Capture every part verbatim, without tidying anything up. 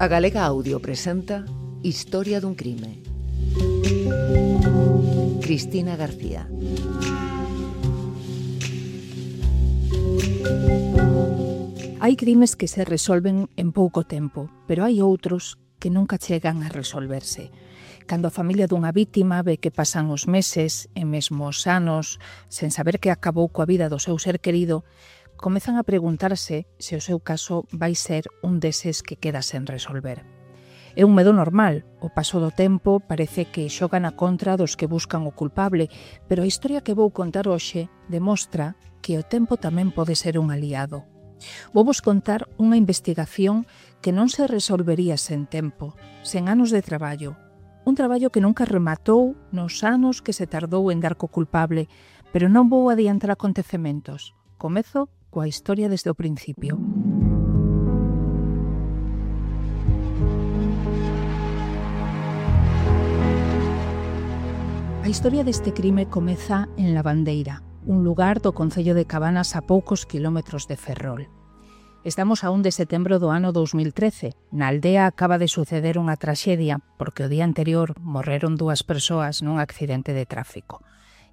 A Galega Audio presenta Historia dun crime. Cristina García. Hai crimes que se resolven en pouco tempo, pero hai outros que nunca chegan a resolverse. Cando a familia dunha vítima ve que pasan os meses e mesmo os anos sen saber que acabou coa vida do seu ser querido, comezan a preguntarse se o seu caso vai ser un deses que queda sen resolver. É un medo normal, o paso do tempo parece que xoga na contra dos que buscan o culpable, pero a historia que vou contar hoxe demostra que o tempo tamén pode ser un aliado. Vou vos contar unha investigación que non se resolvería sen tempo, sen anos de traballo. Un traballo que nunca rematou nos anos que se tardou en dar co culpable, pero non vou adiantar acontecementos. Comezo coa historia desde o principio. A historia deste crime comeza en Lavandeira, un lugar do concello de Cabanas a poucos quilómetros de Ferrol. Estamos a un de setembro do ano dous mil trece. Na aldea acaba de suceder unha traxedia porque o día anterior morreron dúas persoas nun accidente de tráfico.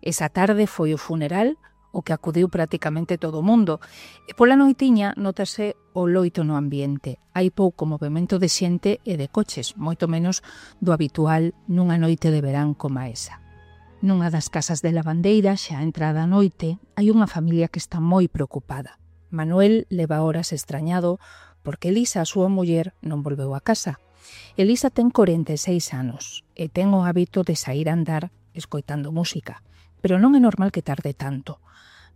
Esa tarde foi o funeral o que acudiu prácticamente todo o mundo. E pola noitiña notase o loito no ambiente. Hai pouco movimento de xente e de coches, moito menos do habitual nunha noite de verán como esa. Nunha das casas de Lavandeira, xa entrada a noite, hai unha familia que está moi preocupada. Manuel leva horas extrañado porque Elisa, a súa muller, non volveu a casa. Elisa ten corenta e seis anos e ten o hábito de sair a andar escoitando música, pero non é normal que tarde tanto.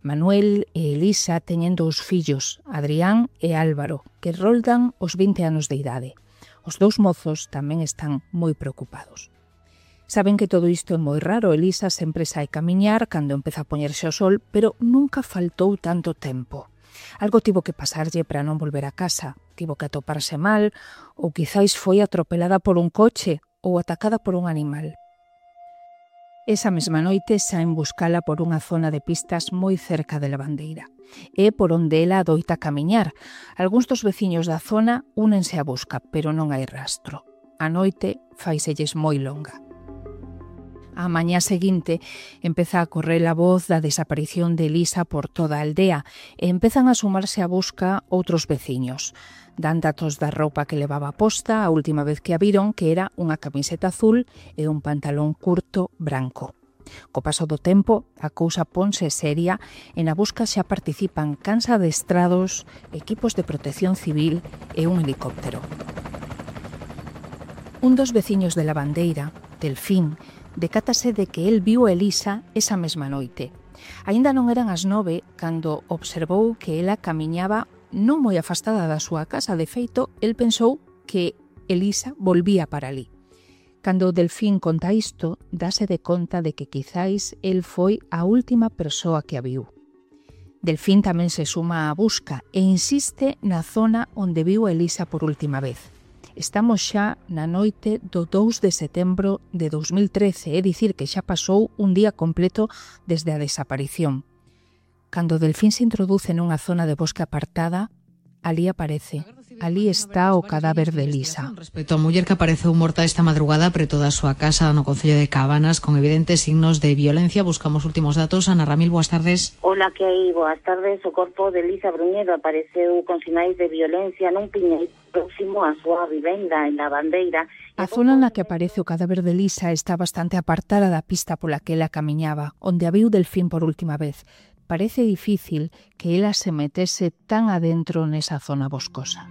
Manuel e Elisa teñen dous fillos, Adrián e Álvaro, que roldan os vinte anos de idade. Os dous mozos tamén están moi preocupados. Saben que todo isto é moi raro. Elisa sempre sai camiñar cando empeza a poñerse o sol, pero nunca faltou tanto tempo. Algo tivo que pasarlle para non volver a casa, tivo que atoparse mal, ou quizáis foi atropelada por un coche ou atacada por un animal. Esa mesma noite saen buscala por unha zona de pistas moi cerca de Lavandeira. É por onde ela adoita camiñar. Algúns dos veciños da zona únense á busca, pero non hai rastro. A noite faiselles moi longa. A mañá seguinte empeza a correr a voz da desaparición de Elisa por toda a aldea e empezan a sumarse á busca outros veciños. Dan datos da roupa que levaba posta a última vez que a viron, que era unha camiseta azul e un pantalón curto branco. Co paso do tempo, a cousa ponse seria e na busca xa participan cans adestrados, equipos de protección civil e un helicóptero. Un dos veciños de Lavandeira, Delfín, decátase de que el viu a Elisa esa mesma noite. Aínda non eran as nove cando observou que ela camiñaba non moi afastada da súa casa. De feito, el pensou que Elisa volvía para ali. Cando Delfín conta isto, dáse de conta de que quizáis el foi a última persoa que a viu. Delfín tamén se suma á busca e insiste na zona onde viu a Elisa por última vez. Estamos xa na noite do dous de setembro de dous mil trece, é dicir que xa pasou un día completo desde a desaparición. Cando Delfín se introduce nunha zona de bosque apartada, ali aparece. Ali está o cadáver de Elisa. Respecto á muller que apareceu morta esta madrugada preto da súa casa no concello de Cabanas con evidentes signos de violencia, buscamos últimos datos. Ana Ramil, boas tardes. Hola, que hai? Boas tardes. O corpo de Elisa Bruñedo apareceu con sinais de violencia nun piñeiro próximo á súa vivenda en Lavandeira. A zona na que aparece o cadáver de Elisa está bastante apartada da pista pola que ela camiñaba, onde a viu Delfín por última vez. Parece difícil que ela se metese tan adentro nesa zona boscosa.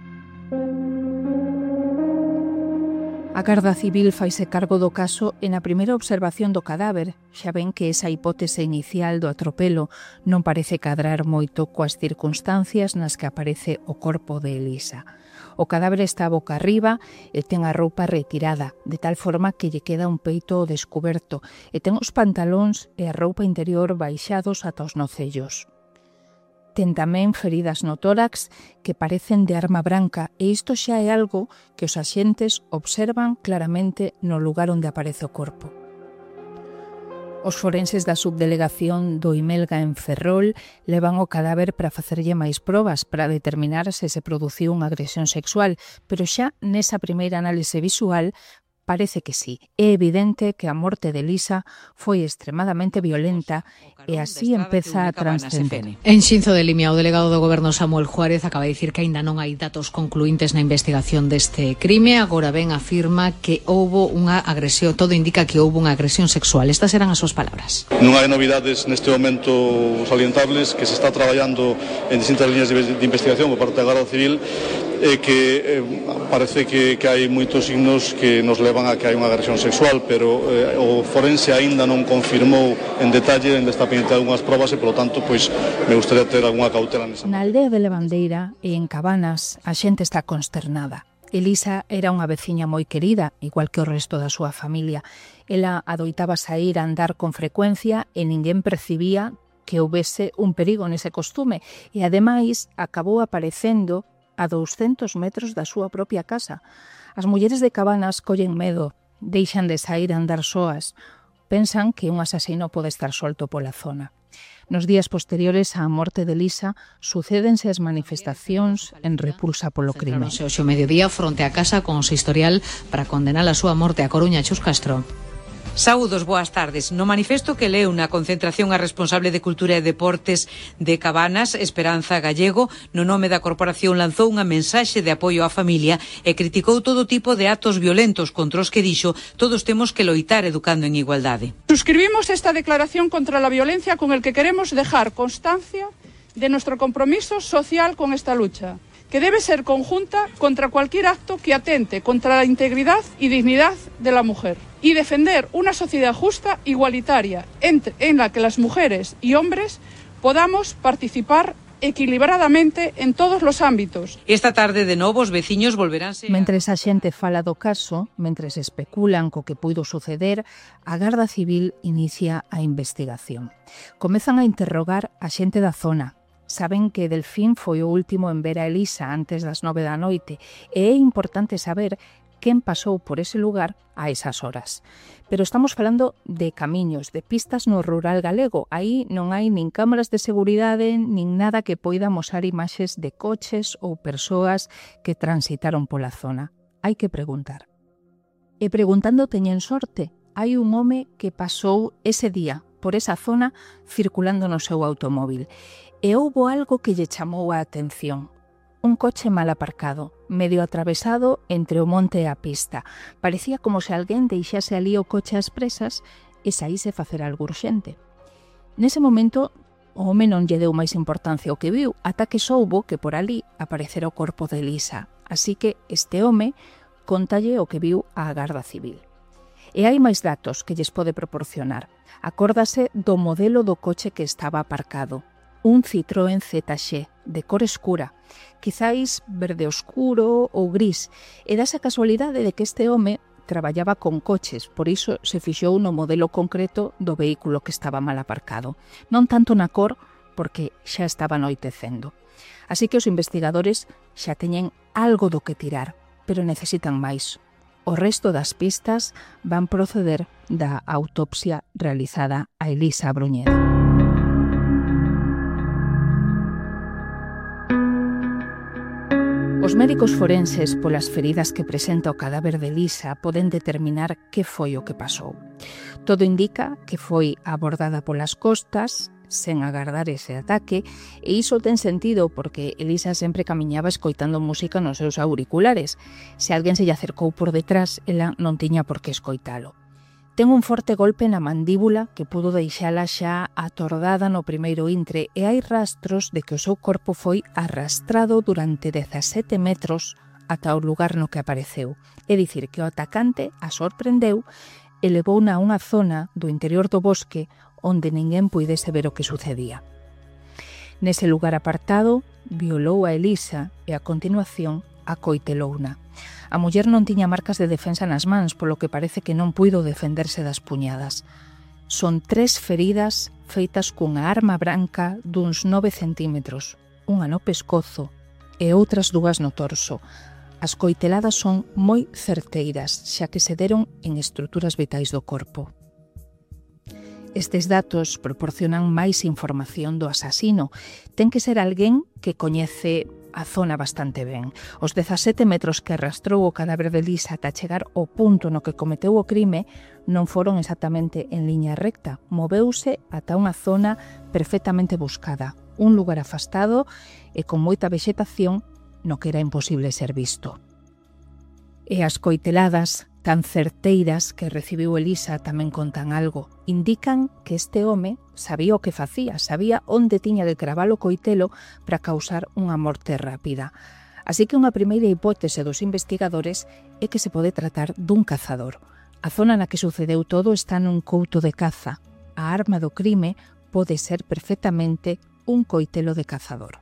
A Garda Civil faise cargo do caso e na primeira observación do cadáver xa ven que esa hipótese inicial do atropelo non parece cadrar moito coas circunstancias nas que aparece o corpo de Elisa. O cadáver está boca arriba e ten a roupa retirada, de tal forma que lle queda un peito descuberto e ten os pantalóns e a roupa interior baixados ata os nocellos. Ten tamén feridas no tórax que parecen de arma branca e isto xa é algo que os axentes observan claramente no lugar onde aparece o corpo. Os forenses da subdelegación do Imelga en Ferrol levan o cadáver para facerlle máis probas para determinar se se produciu unha agresión sexual, pero xa nesa primeira análise visual parece que sí. É evidente que a morte de Elisa foi extremadamente violenta e así empeza a transcender. En Xinzo de Limia, o delegado do Goberno Samuel Juárez acaba de dicir que aínda non hai datos concluíntes na investigación deste crime. Agora ben afirma que houbo unha agresión, todo indica que houbo unha agresión sexual. Estas eran as súas palabras. Non hai novidades neste momento salientables, que se está traballando en distintas líneas de investigación por parte da Garda Civil, e que eh, parece que, que hai moitos signos que nos levan a que hai unha agresión sexual, pero eh, o forense aínda non confirmou en detalle, ainda está pendiente de algunhas probas e, polo tanto, pois me gustaría ter algunha cautela nesa. Na aldea de Levandeira e en Cabanas a xente está consternada. Elisa era unha veciña moi querida, igual que o resto da súa familia. Ela adoitaba saír a andar con frecuencia e ninguén percibía que houbese un perigo nese costume e, ademais, acabou aparecendo a douscentos metros da súa propia casa. As mulleres de Cabanas collen medo, deixan de sair a andar soas, pensan que un asasino pode estar solto pola zona. Nos días posteriores á morte de Elisa, sucédense as manifestacións en repulsa polo crime. Hoxe o mediodía fronte á casa con o historial para condenar a súa morte a Coruña. Chus Castro. Saúdos, boas tardes. No manifesto que leu na concentración a responsable de Cultura e Deportes de Cabanas, Esperanza Gallego, no nome da corporación lanzou unha mensaxe de apoio á familia e criticou todo tipo de actos violentos contra os que dixo todos temos que loitar educando en igualdade. Suscribimos esta declaración contra la violencia con el que queremos dejar constancia de nuestro compromiso social con esta lucha, que debe ser conjunta contra cualquier acto que atente contra la integridad y dignidad de la mujer, y defender una sociedad justa, igualitaria, entre, en la que las mujeres y hombres podamos participar equilibradamente en todos los ámbitos. Esta tarde, de novo, os veciños volveránse... Mentres a xente fala do caso, mentres especulan co que puido suceder, a Garda Civil inicia a investigación. Comezan a interrogar a xente da zona. Saben que Delfín foi o último en ver a Elisa antes das nove da noite e é importante saber quen pasou por ese lugar a esas horas. Pero estamos falando de camiños, de pistas no rural galego. Aí non hai nin cámaras de seguridade, nin nada que poida mostrar imaxes de coches ou persoas que transitaron pola zona. Hai que preguntar. E preguntando teñen sorte. Hai un home que pasou ese día por esa zona circulando no seu automóbil. E houbo algo que lle chamou a atención. Un coche mal aparcado, medio atravesado entre o monte e a pista. Parecía como se alguén deixase ali o coche ás presas e saíse facer algo urxente. Nese momento, o home non lle deu máis importancia ao que viu, ata que soubo que por ali aparecera o corpo de Elisa. Así que este home contalle o que viu á Garda Civil. E hai máis datos que lles pode proporcionar. Acórdase do modelo do coche que estaba aparcado. Un Citroën Z X de cor escura, quizáis verde oscuro ou gris, e dase a casualidade de que este home traballaba con coches, por iso se fixou no modelo concreto do vehículo que estaba mal aparcado. Non tanto na cor, porque xa estaba anoitecendo. Así que os investigadores xa teñen algo do que tirar, pero necesitan máis. O resto das pistas van proceder da autopsia realizada a Elisa Bruñeda. Os médicos forenses, polas feridas que presenta o cadáver de Elisa, poden determinar que foi o que pasou. Todo indica que foi abordada polas costas, sen agardar ese ataque, e iso ten sentido porque Elisa sempre camiñaba escoitando música nos seus auriculares. Se alguén se lle acercou por detrás, ela non tiña por que escoitalo. Ten un forte golpe na mandíbula que pudo deixala xa atordada no primeiro intre e hai rastros de que o seu corpo foi arrastrado durante dezasete metros ata o lugar no que apareceu. É dicir, que o atacante a sorprendeu e levouna a unha zona do interior do bosque onde ninguén puidese ver o que sucedía. Nese lugar apartado, violou a Elisa e a continuación acoitelouna. A muller non tiña marcas de defensa nas mans, polo que parece que non puido defenderse das puñadas. Son tres feridas feitas cunha arma branca duns nove centímetros, unha no pescozo e outras dúas no torso. As coiteladas son moi certeiras, xa que se deron en estruturas vitais do corpo. Estes datos proporcionan máis información do asasino. Ten que ser alguén que coñece a zona bastante ben. Os dezasete metros que arrastrou o cadáver de Lisa ata chegar ao punto no que cometeu o crime non foron exactamente en liña recta. Moveuse ata unha zona perfectamente buscada, un lugar afastado e con moita vexetación no que era imposible ser visto. E as coiteladas tan certeiras que recibiu Elisa tamén contan algo. Indican que este home sabía o que facía, sabía onde tiña de cravar o coitelo para causar unha morte rápida. Así que unha primeira hipótese dos investigadores é que se pode tratar dun cazador. A zona na que sucedeu todo está nun couto de caza. A arma do crime pode ser perfectamente un coitelo de cazador.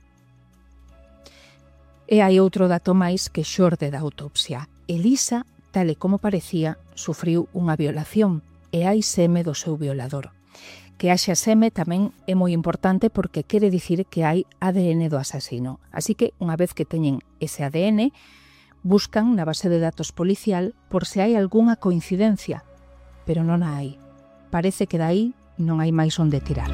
E hai outro dato máis que xorde da autopsia. Elisa, tal e como parecía, sufriu unha violación e hai seme do seu violador. Que haxa seme tamén é moi importante porque quere dicir que hai A D N do asasino. Así que, unha vez que teñen ese A D N, buscan na base de datos policial por se hai algunha coincidencia, pero non a hai. Parece que dai non hai máis onde tirar.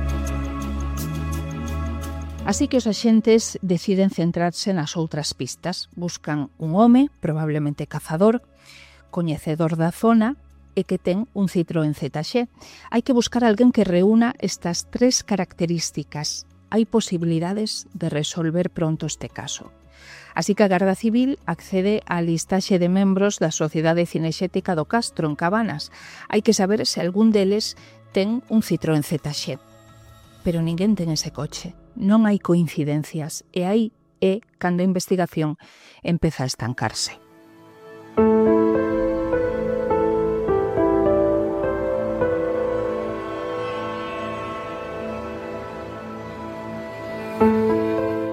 Así que os axentes deciden centrarse nas outras pistas. Buscan un home, probablemente cazador, coñecedor da zona e que ten un Citroën Z X. Hai que buscar alguén que reúna estas tres características. Hai posibilidades de resolver pronto este caso. Así que a Garda Civil accede á listaxe de membros da Sociedade Cinexética do Castro, en Cabanas. Hai que saber se algún deles ten un Citroën Z X. Pero ninguén ten ese coche. Non hai coincidencias e aí é cando a investigación empeza a estancarse.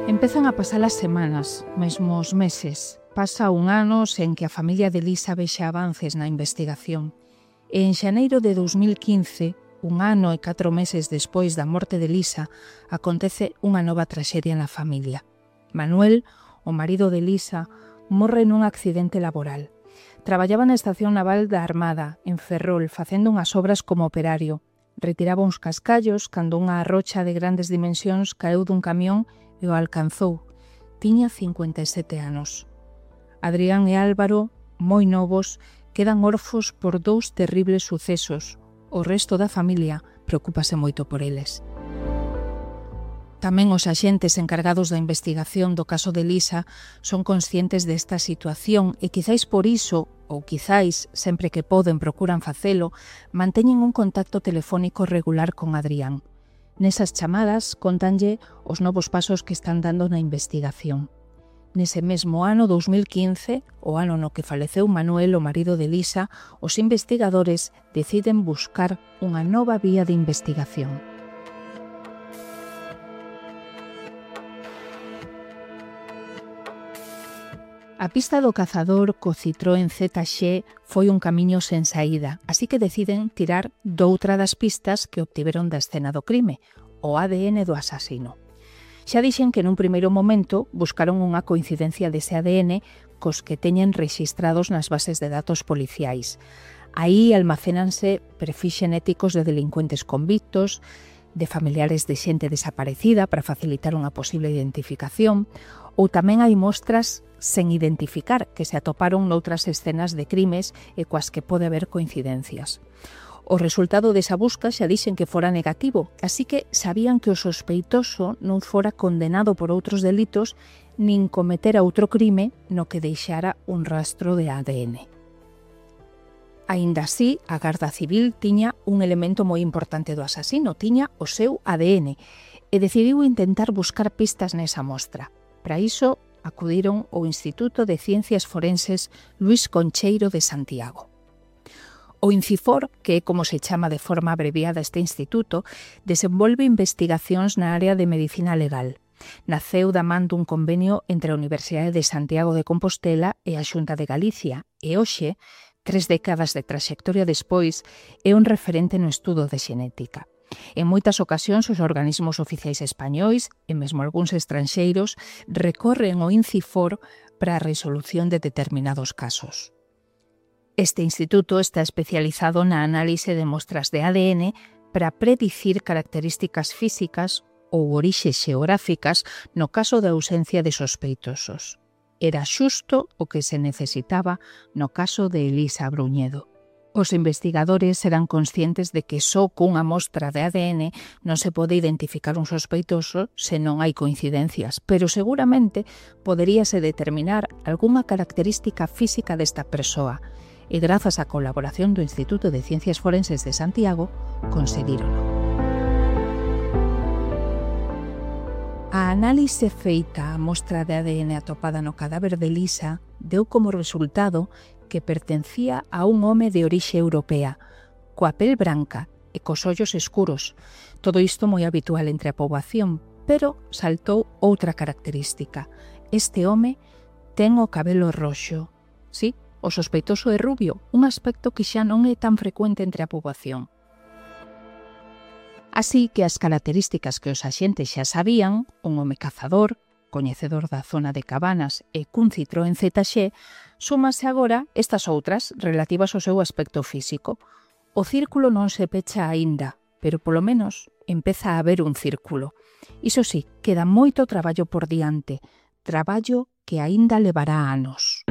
Empezan a pasar as semanas, mesmo os meses. Pasa un ano sen que a familia de Lisa vexa avances na investigación. E en xaneiro de dous mil quince, un ano e catro meses despois da morte de Lisa, acontece unha nova traxedia na familia. Manuel, o marido de Lisa, morre nun accidente laboral. Traballaba na estación naval da Armada, en Ferrol, facendo unhas obras como operario. Retiraba uns cascallos cando unha rocha de grandes dimensións caeu dun camión e o alcanzou. Tiña cincuenta e sete anos. Adrián e Álvaro, moi novos, quedan orfos por dous terribles sucesos. O resto da familia preocúpase moito por eles. Tamén os axentes encargados da investigación do caso de Lisa son conscientes desta situación e quizáis por iso, ou quizáis sempre que poden procuran facelo, manteñen un contacto telefónico regular con Adrián. Nesas chamadas contanlle os novos pasos que están dando na investigación. Nese mesmo ano, dous mil quince, o ano no que faleceu Manuel, o marido de Lisa, os investigadores deciden buscar unha nova vía de investigación. A pista do cazador co Citroën Z X foi un camiño sen saída, así que deciden tirar doutra das pistas que obtiveron da escena do crime, o A D N do asasino. Xa dixen que nun primeiro momento buscaron unha coincidencia dese A D N cos que teñen rexistrados nas bases de datos policiais. Aí almacénanse perfis xenéticos de delincuentes convictos, de familiares de xente desaparecida para facilitar unha posible identificación, ou tamén hai mostras sen identificar que se atoparon noutras escenas de crimes e coas que pode haber coincidencias. O resultado desa busca xa dixen que fora negativo, así que sabían que o sospeitoso non fora condenado por outros delitos nin cometera outro crime no que deixara un rastro de A D N. Aínda así, a Garda Civil tiña un elemento moi importante do asasino, tiña o seu A D N, e decidiu intentar buscar pistas nesa mostra. Para iso, acudiron ao Instituto de Ciencias Forenses Luis Concheiro de Santiago. O INCIFOR, que é como se chama de forma abreviada este instituto, desenvolve investigacións na área de medicina legal. Naceu da man dun convenio entre a Universidade de Santiago de Compostela e a Xunta de Galicia, e hoxe, tres décadas de traxectoria despois, é un referente no estudo de xenética. En moitas ocasións, os organismos oficiais españois, e mesmo algúns estranxeiros, recorren ao INCIFOR para a resolución de determinados casos. Este instituto está especializado na análise de mostras de A D N para predicir características físicas ou orixes xeográficas no caso da ausencia de sospeitosos. Era xusto o que se necesitaba no caso de Elisa Bruñedo. Os investigadores eran conscientes de que só cunha mostra de A D N non se pode identificar un sospeitoso se non hai coincidencias, pero seguramente poderíase determinar algunha característica física desta persoa, e grazas á colaboración do Instituto de Ciencias Forenses de Santiago, conseguírono. A análise feita á mostra de A D N atopada no cadáver de Elisa deu como resultado que pertencía a un home de orixe europea, coa pel branca e cos ollos escuros. Todo isto moi habitual entre a poboación, pero saltou outra característica. Este home ten o cabelo roxo. Sí, o sospeitoso é rubio, un aspecto que xa non é tan frecuente entre a poboación. Así que as características que os axentes xa sabían, un home cazador, coñecedor da zona de Cabanas e cun Citroën Z X, súmase agora estas outras relativas ao seu aspecto físico. O círculo non se pecha aínda, pero polo menos empeza a haber un círculo. Iso sí, queda moito traballo por diante, traballo que aínda levará anos.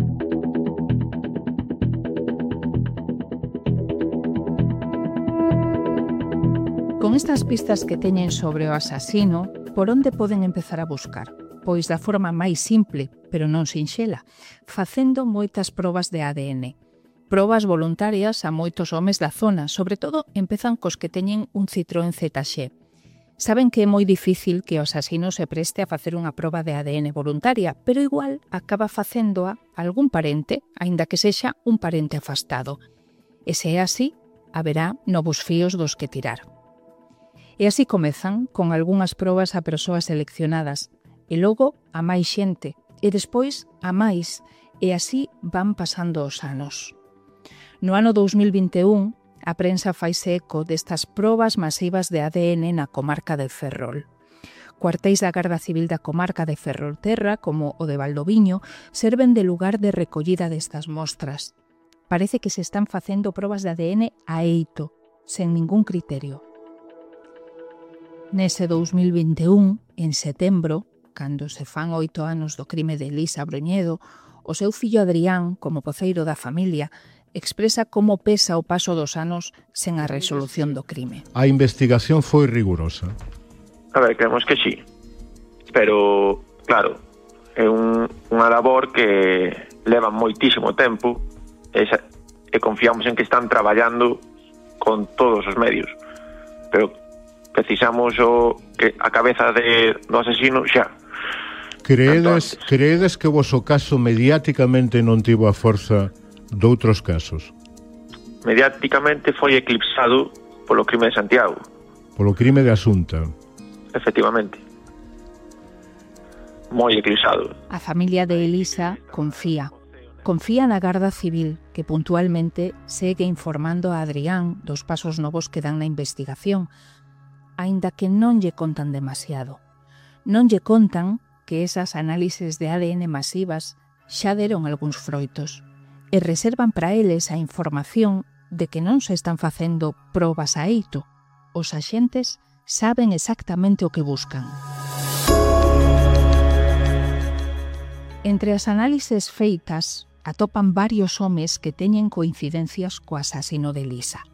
Con estas pistas que teñen sobre o asasino, por onde poden empezar a buscar? Pois da forma máis simple, pero non sinxela, facendo moitas probas de A D N. Probas voluntarias a moitos homes da zona, sobre todo empezan cos que teñen un Citroën Z X. Saben que é moi difícil que o asasino se preste a facer unha proba de A D N voluntaria, pero igual acaba facéndoa algún parente, aínda que sexa un parente afastado. E se é así, haberá novos fíos dos que tirar. E así comezan con algunhas probas a persoas seleccionadas, e logo a máis xente, e despois a máis, e así van pasando os anos. No ano dous mil vinte e un, a prensa faise eco destas probas masivas de A D N na comarca de Ferrol. Cuartéis da Garda Civil da comarca de Ferrolterra, como o de Valdoviño, serven de lugar de recollida destas mostras. Parece que se están facendo probas de A D N a eito, sen ningún criterio. Nese dous mil vinte e un, en setembro, cando se fan oito anos do crime de Elisa Bruñedo, o seu fillo Adrián, como voceiro da familia, expresa como pesa o paso dos anos sen a resolución do crime. A investigación foi rigurosa. A ver, creemos que sí. Pero, claro, é un, unha labor que leva moitísimo tempo e, e confiamos en que están traballando con todos os medios. Pero precisamos o, que a cabeza de, do asesino xa. Creedes, creedes que o voso caso mediáticamente non tivo a forza doutros casos? Mediáticamente foi eclipsado polo crime de Santiago. Polo crime de Asunta. Efectivamente. Moi eclipsado. A familia de Elisa confía. Confía na Garda Civil, que puntualmente segue informando a Adrián dos pasos novos que dan na investigación, aínda que non lle contan demasiado. Non lle contan que esas análises de A D N masivas xa deron algúns froitos e reservan para eles a información de que non se están facendo probas a eito. Os axentes saben exactamente o que buscan. Entre as análises feitas atopan varios homes que teñen coincidencias co asasino de Elisa.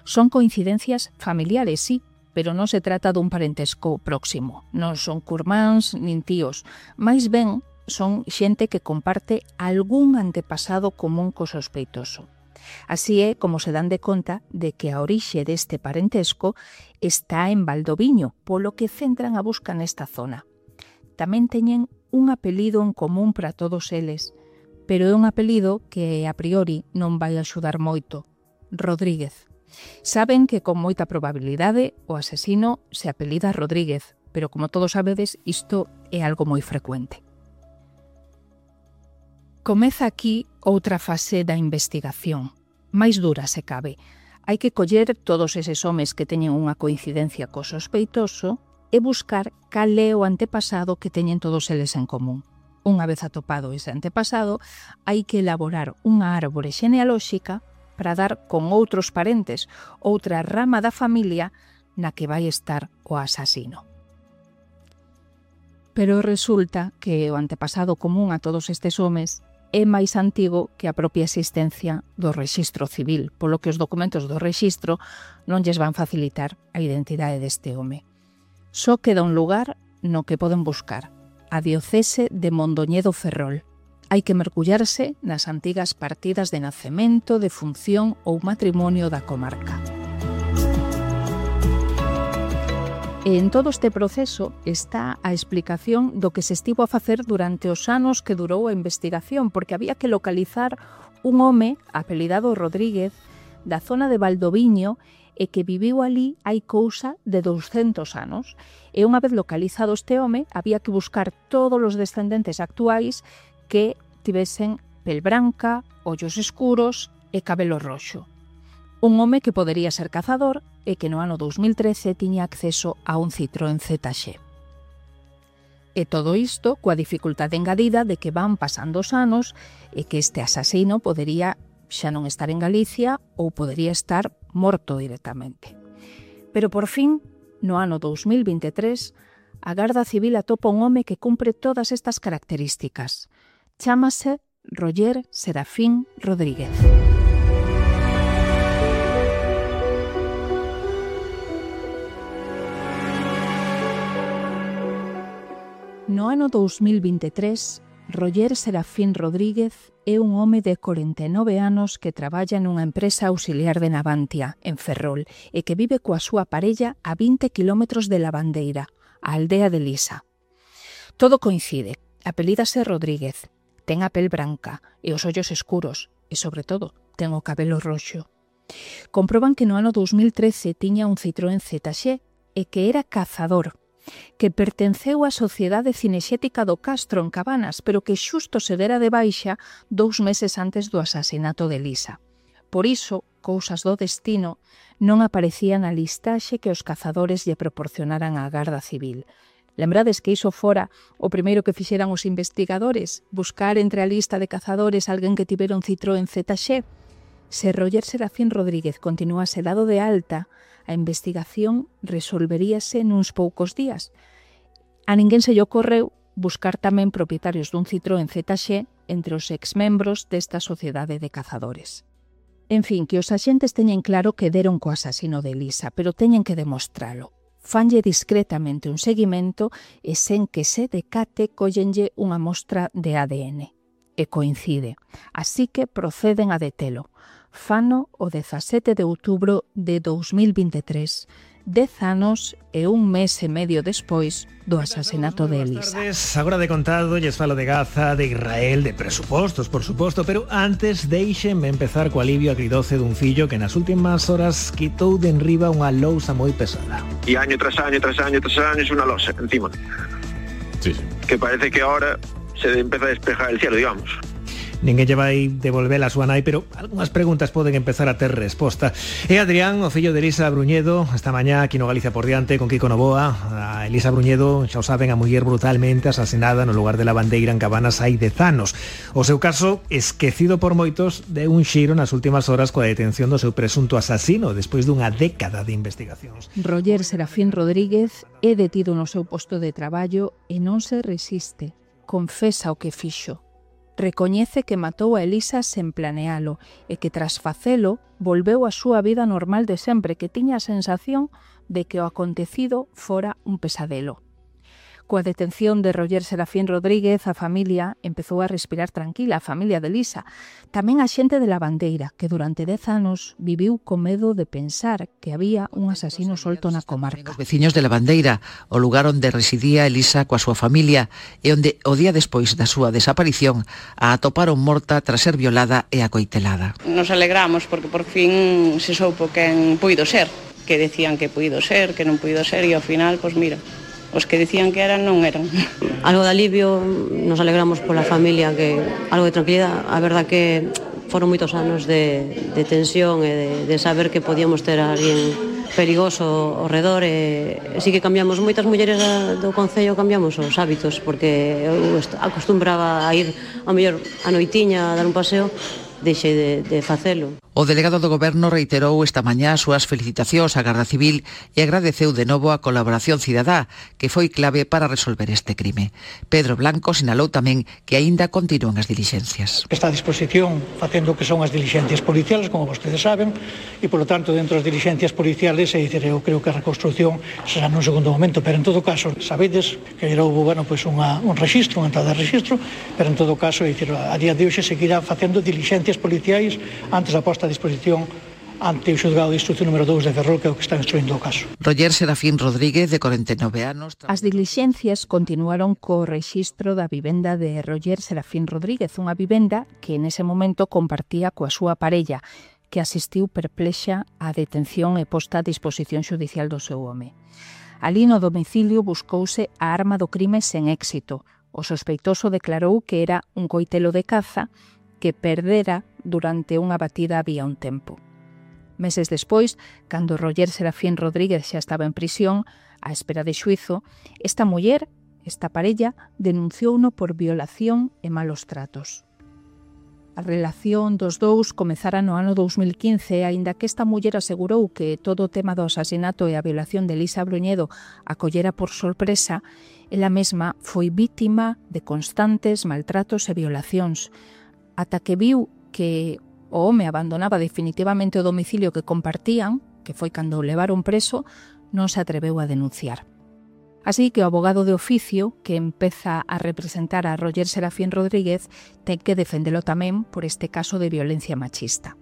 Son coincidencias familiares, sí, pero non se trata dun parentesco próximo. Non son curmáns nin tíos, máis ben son xente que comparte algún antepasado común co sospeitoso. Así é como se dan de conta de que a orixe deste parentesco está en Valdoviño, polo que centran a busca nesta zona. Tamén teñen un apelido en común para todos eles, pero é un apelido que a priori non vai axudar moito: Rodríguez. Saben que con moita probabilidade o asesino se apelida Rodríguez, pero como todos sabedes, isto é algo moi frecuente. Comeza aquí outra fase da investigación, máis dura se cabe. Hai que coller todos eses homes que teñen unha coincidencia co sospeitoso e buscar cal é o antepasado que teñen todos eles en común. Unha vez atopado ese antepasado, hai que elaborar unha árbore xenealóxica para dar con outros parentes, outra rama da familia na que vai estar o asasino. Pero resulta que o antepasado común a todos estes homes é máis antigo que a propia existencia do rexistro civil, polo que os documentos do rexistro non lles van facilitar a identidade deste home. Só queda un lugar no que poden buscar, a diocese de Mondoñedo Ferrol. Hai que mergullarse nas antigas partidas de nacemento, de función ou matrimonio da comarca. E en todo este proceso está a explicación do que se estivo a facer durante os anos que durou a investigación, porque había que localizar un home apelidado Rodríguez da zona de Valdoviño e que viviu ali hai cousa de douscentos anos. E unha vez localizado este home, había que buscar todos os descendentes actuais que tivesen pel branca, ollos escuros e cabelo roxo. Un home que podería ser cazador e que no ano dous mil trece tiña acceso a un Citroën Z X. E todo isto coa dificultade engadida de que van pasando os anos e que este asasino podería xa non estar en Galicia ou podería estar morto directamente. Pero por fin, no ano dous mil veintitrés, a Garda Civil atopa un home que cumpre todas estas características. Chámase Roger Serafín Rodríguez. No ano dous mil veintitrés, Roger Serafín Rodríguez é un home de corenta e nove anos que traballa nunha empresa auxiliar de Navantia, en Ferrol, e que vive coa súa parella a vinte quilómetros de Lavandeira, a aldea de Lisa. Todo coincide. Apelídase Rodríguez, ten a pel branca e os ollos escuros, e, sobre todo, ten o cabelo roxo. Comproban que no ano dous mil trece tiña un Citroën Z X e que era cazador, que pertenceu á Sociedade Cinexética do Castro en Cabanas, pero que xusto se dera de baixa dous meses antes do asasinato de Lisa. Por iso, cousas do destino, non aparecía na listaxe que os cazadores lle proporcionaran á Garda Civil. Lembrades que iso fora o primeiro que fixeran os investigadores, buscar entre a lista de cazadores alguén que tivera un Citroën Z X? Se Roger Serafín Rodríguez continuase dado de alta, a investigación resolveríase nuns poucos días. A ninguén se lle ocorreu buscar tamén propietarios dun Citroën Z X entre os exmembros desta sociedade de cazadores. En fin, que os axentes teñen claro que deron co asasino de Lisa, pero teñen que demostralo. Fanlle discretamente un seguimento e sen que se decate collenlle unha mostra de A D N. E coincide. Así que proceden a detelo. Fano o dezasete de outubro de dous mil veintitrés, dez anos e un mes e medio despois do asasinato de Elisa. Agora de contado, lles falo de Gaza, de Israel, de presupostos, por suposto, pero antes deixenme empezar co alivio agridoce dun fillo que nas últimas horas quitou de enriba unha lousa moi pesada. E año tras año, tras año, tras año, es unha lousa encima. Sí, sí. Que parece que ahora se empieza a despejar el cielo, digamos. Ninguén lle vai devolver a súa nai, pero algunhas preguntas poden empezar a ter resposta. E Adrián, o fillo de Elisa Bruñedo, esta mañá aquí no Galicia por diante con Kiko Novoa. A Elisa Bruñedo, xa o saben, a muller brutalmente asasinada no lugar de Lavandeira en Cabanas hai dez anos. O seu caso, esquecido por moitos, de un xiro nas últimas horas coa detención do seu presunto asasino despois dunha década de investigacións. Roger Serafín Rodríguez é detido no seu posto de traballo e non se resiste. Confesa o que fixo. Recoñece que matou a Elisa sen planealo e que tras facelo volveu á súa vida normal de sempre, que tiña a sensación de que o acontecido fora un pesadelo. Coa detención de Roger Serafín Rodríguez, a familia empezou a respirar tranquila, a familia de Elisa. Tamén a xente de Lavandeira, que durante dez anos viviu con medo de pensar que había un asasino solto na comarca. Os veciños de Lavandeira, o lugar onde residía Elisa coa súa familia e onde o día despois da súa desaparición a atoparon morta tras ser violada e acoitelada. Nos alegramos porque por fin se soupo quen puido ser, que decían que puido ser, que non puido ser, e ao final, pois mira, os que decían que eran non eran. Algo de alivio, nos alegramos pola familia, que algo de tranquilidade. A verdad que foron moitos anos de, de tensión e de, de saber que podíamos ter a alguén perigoso ao redor, e, e sí que cambiamos, moitas mulleres do concello cambiamos os hábitos, porque eu acostumbraba a ir ao mellor a noitiña a dar un paseo, deixei de, de facelo. O delegado do Goberno reiterou esta mañá as súas felicitacións á Garda Civil e agradeceu de novo a colaboración cidadá, que foi clave para resolver este crime. Pedro Blanco sinalou tamén que aínda continúan as dilixencias. Está a disposición facendo o que son as dilixencias policiales, como vostedes saben, e, polo tanto, dentro das dilixencias policiales, é dicir, eu creo que a reconstrucción será nun segundo momento, pero en todo caso, sabedes que houve, bueno, pues unha, un registro, unha entrada de registro, pero en todo caso, é dicir, a día de hoxe seguirá facendo dilixencias policiais antes da posta a disposición ante o xulgado de instrucción número dous de Ferrol, que é o que está instruindo o caso. Roger Serafín Rodríguez, de corenta e nove anos. As dilixencias continuaron co rexistro da vivenda de Roger Serafín Rodríguez, unha vivenda que nese momento compartía coa súa parella, que asistiu perplexa á detención e posta a disposición xudicial do seu home. Alí no domicilio buscouse a arma do crime sen éxito. O sospeitoso declarou que era un coitelo de caza que perdera durante unha batida había un tempo. Meses despois, cando Roger Serafín Rodríguez xa estaba en prisión, á espera de xuizo, esta muller, esta parella, denunciouno por violación e malos tratos. A relación dos dous comezara no ano dous mil quince, aínda que esta muller asegurou que todo o tema do asasinato e a violación de Elisa Bruñedo a collera por sorpresa, ela mesma foi vítima de constantes maltratos e violacións, ata que viu que o home abandonaba definitivamente o domicilio que compartían, que foi cando o levaron preso, non se atreveu a denunciar. Así que o abogado de oficio, que empeza a representar a Roger Serafín Rodríguez, ten que defendelo tamén por este caso de violencia machista.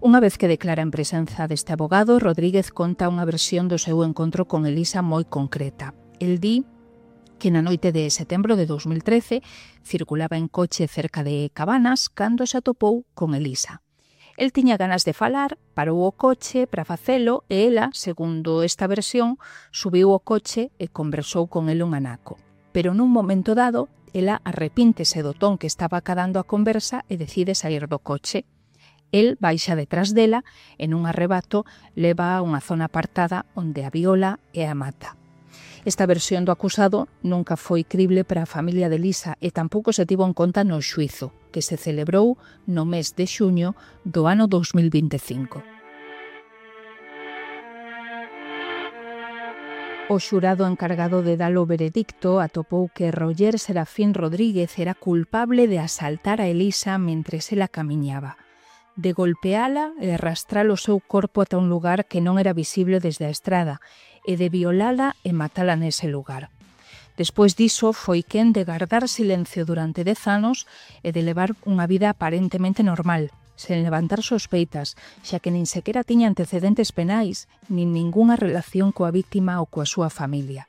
Unha vez que declara en presenza deste abogado, Rodríguez conta unha versión do seu encontro con Elisa moi concreta. El di que na noite de setembro de dous mil trece circulaba en coche cerca de Cabanas cando se atopou con Elisa. El tiña ganas de falar, parou o coche para facelo e ela, segundo esta versión, subiu o coche e conversou con el un anaco. Pero nun momento dado, ela arrepíntese do ton que estaba acadando a conversa e decide sair do coche. El baixa detrás dela e nun arrebato leva a unha zona apartada onde a viola e a mata. Esta versión do acusado nunca foi crible para a familia de Elisa e tampouco se tivo en conta no xuizo, que se celebrou no mes de xuño do ano dous mil vinte e cinco. O xurado encargado de dar o veredicto atopou que Roger Serafín Rodríguez era culpable de asaltar a Elisa mentres ela camiñaba, de golpeala e arrastrar o seu corpo ata un lugar que non era visible desde a estrada, e de violala e matala nese lugar. Despois diso foi quen de guardar silencio durante dez anos e de levar unha vida aparentemente normal, sen levantar sospeitas, xa que nin sequera tiña antecedentes penais, nin ningunha relación coa víctima ou coa súa familia.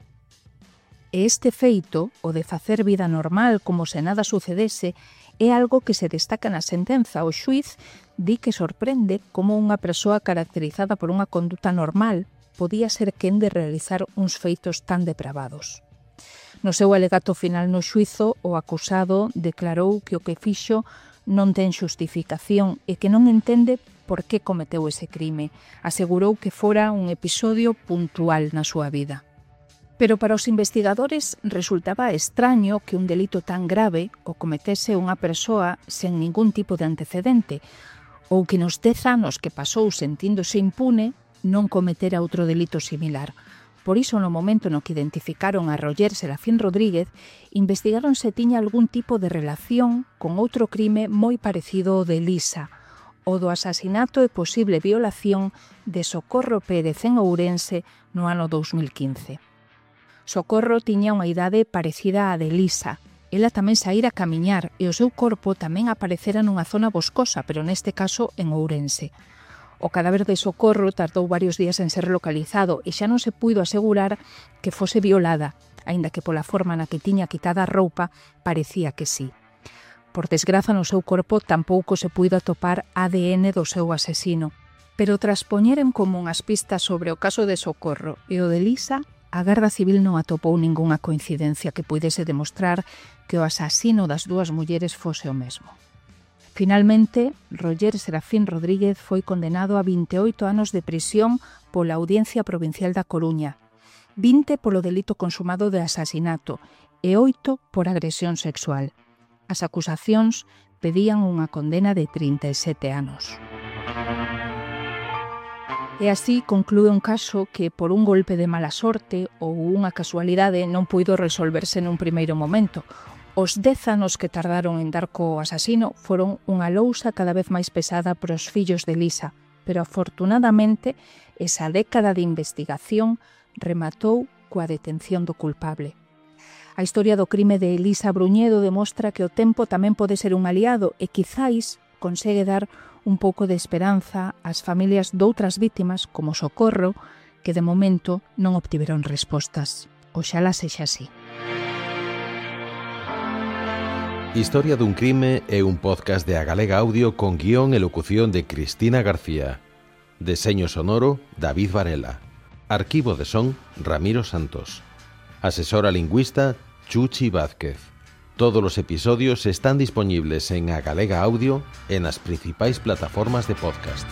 E este feito, o de facer vida normal como se nada sucedese, é algo que se destaca na sentenza. O xuiz di que sorprende como unha persoa caracterizada por unha conduta normal podía ser quen de realizar uns feitos tan depravados. No seu alegato final no xuizo, o acusado declarou que o que fixo non ten xustificación e que non entende por que cometeu ese crime. Asegurou que fora un episodio puntual na súa vida. Pero para os investigadores resultaba extraño que un delito tan grave o cometese unha persoa sen ningún tipo de antecedente, ou que nos dez anos que pasou sentíndose impune non cometera outro delito similar. Por iso, no momento no que identificaron a Roger Serafín Rodríguez, investigaron se tiña algún tipo de relación con outro crime moi parecido ao de Elisa, o do asasinato e posible violación de Socorro Pérez en Ourense no ano dous mil quince. Socorro tiña unha idade parecida á de Elisa. Ela tamén saíra a camiñar e o seu corpo tamén aparecera nunha zona boscosa, pero neste caso en Ourense. O cadáver de Socorro tardou varios días en ser localizado e xa non se puido asegurar que fose violada, aínda que pola forma na que tiña quitada a roupa parecía que sí. Por desgraza, no seu corpo tampouco se puido atopar A D N do seu asesino, pero tras poñer en común as pistas sobre o caso de Socorro e o de Elisa, a Garda Civil non atopou ningunha coincidencia que puidese demostrar que o asasino das dúas mulleres fose o mesmo. Finalmente, Roger Serafín Rodríguez foi condenado a vinte e oito anos de prisión pola Audiencia Provincial da Coruña, vinte polo delito consumado de asasinato e oito por agresión sexual. As acusacións pedían unha condena de trinta e sete anos. E así conclúe un caso que por un golpe de mala sorte ou unha casualidade non puido resolverse nun primeiro momento. Os dez anos que tardaron en dar co asasino foron unha lousa cada vez máis pesada para os fillos de Elisa, pero afortunadamente esa década de investigación rematou coa detención do culpable. A historia do crime de Elisa Bruñedo demostra que o tempo tamén pode ser un aliado e quizáis consegue dar un pouco de esperanza ás familias doutras vítimas como Socorro, que de momento non obtiveron respostas. Oxalá sexa así. Historia dun crime é un podcast de A Galega Audio con guión e locución de Cristina García. Deseño sonoro, David Varela. Arquivo de son, Ramiro Santos. Asesora lingüista, Chuchi Vázquez. Todos los episodios están disponibles en A Galega Audio en las principales plataformas de podcast.